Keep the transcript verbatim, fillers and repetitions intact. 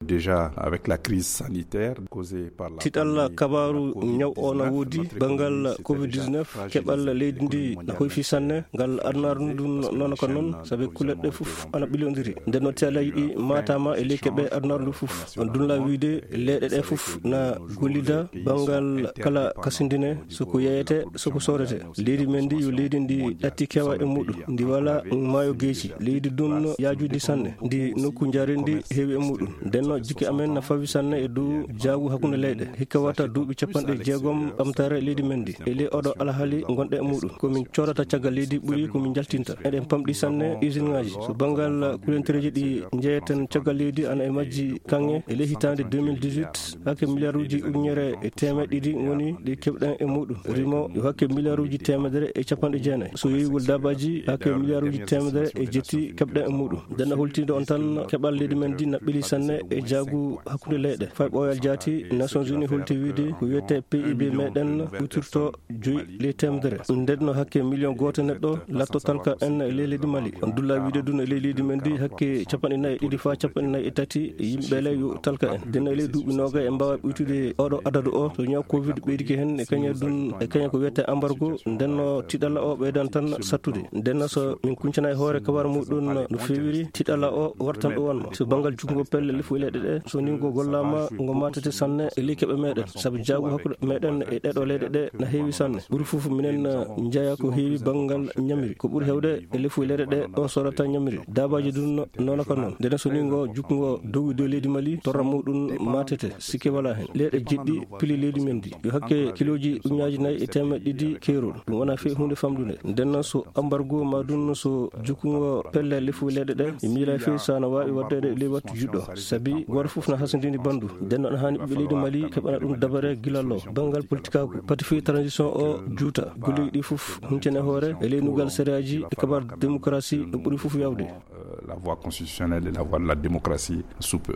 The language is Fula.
Déjà, avec la crise sanitaire causée par la pandémie, la covid dix-neuf, keɓal leydi ndi na hoyfi sanne. Ngal adunaaru ndun noona ko noon, sabi kuleɗe ɗe fof ana ɓilondiri. Nden noon, teelaaji ɗi maataama e ley keɓe adunaaru ndu fof. On dunla wiide leyɗe ɗe fof na gollida banngal kala kasindine, so ko yeeyete, so ko soodete. Leydi men ndi yo leydi ndi ɗatti kewa e muɗum, ndi wala maayo geeci. Leydi dun yaajundi sanne, ndi nokku njarendi heewi e muɗum. Nden noon, jikke amen na fawi sanne e dow jaagu hakkunde leyɗe. Hikka wata duuɓi capanɗe jeegom ɓamtaare leydi men ndi. E ley oɗo alhaali ngonɗe e muɗum. Ko min coodata caggal leydi ɓuri ko min njaltinta. Eɗen pamɗi sanne usine ŋaaji. So banngal kulentereeji ɗi njeeyeten caggal leydi ana e majji kaŋŋe e ley hitaande deux mille dix-huit, hake miliyaaruuji ujunere e teemeɗɗe ɗiɗi ngoni ɗi keɓɗen e muɗum. Rimo yo hake miliyaaruuji teemedere e capanɗe jeenayi. So yeeyugol daabaaji, hake miliyaaruuji teemedere e jetti keɓɗen e muɗum. Nden na holtinde on tan keɓal leydi men ndi na ɓeli sanne e jaagu hakkunde leyɗe. Fay ɓooyal jaati, Nations Unies holti wiide ko wiyetee P I B meɗen ɓutirto joyi ley teemedere. Nden no hakke miliyon gooto neɗɗo latto talka en e ley leydi Mali. On dulla wiide dun e ley leydi men ndi hakke capanɗe nayi e ɗiɗi faa capanɗe nayi e tati yimɓe ley yo talka en. Nden e ley duuɓi noogay en mbaawa ɓuytude oɗo adadu o. So ñaw covid ɓeydike hen e kaña dun, e kaña ko wiyetee embargo, nden no tiɗalla o ɓeydan tan sattude. Nden no so min kuncana e hoore kabar muɗum no feewiri, tiɗalla o wartan ɗo wonno. So banngal juutngo pelle lefu e leyɗe ɗe, so ni ngo gollaama, ngo matete sanne e ley keɓe meɗen. Sabu jaagu hakkunde meɗen e ɗeɗo leyɗe ɗe na heewi sanne. Ɓuri fof minen, eh, njeeya ko heewi banngal ñamiri. Ko ɓuri heewde e lefu e leyɗe ɗe, ɗo soodata ñamiri. Daabaaji dun no, noona ko noon. Nden so ni ngo juutngo dowi dow leydi Mali, torra muɗum matete. Sikke wala hen. Leyɗe jeɗɗi pili leydi men ndi. Yo hakke kilooji ujunnaaji nayi e teemeɗɗe ɗiɗi keerol. Ɗum wona feewi huunde famɗunde. Nden noon so embargo ma ɗum so jukkungo pelle lefu leyɗe ɗe, mi miila feewi so ana waawi waɗdeede ley wattu juɗɗo. Sabi gooto fof na hasindini banndu. Nden noon haani ɓiɓɓe leydi Mali keɓana ɗum dabare gila law. Banngal politikaaku, pati fii transition o juuta. Golleeji ɗi fof huntine hoore e ley nugal sariyaaji e kabar démocratie ɗum ɓuri fof yawde. Euh, la voie constitutionnelle et la voie de la démocratie sous peu.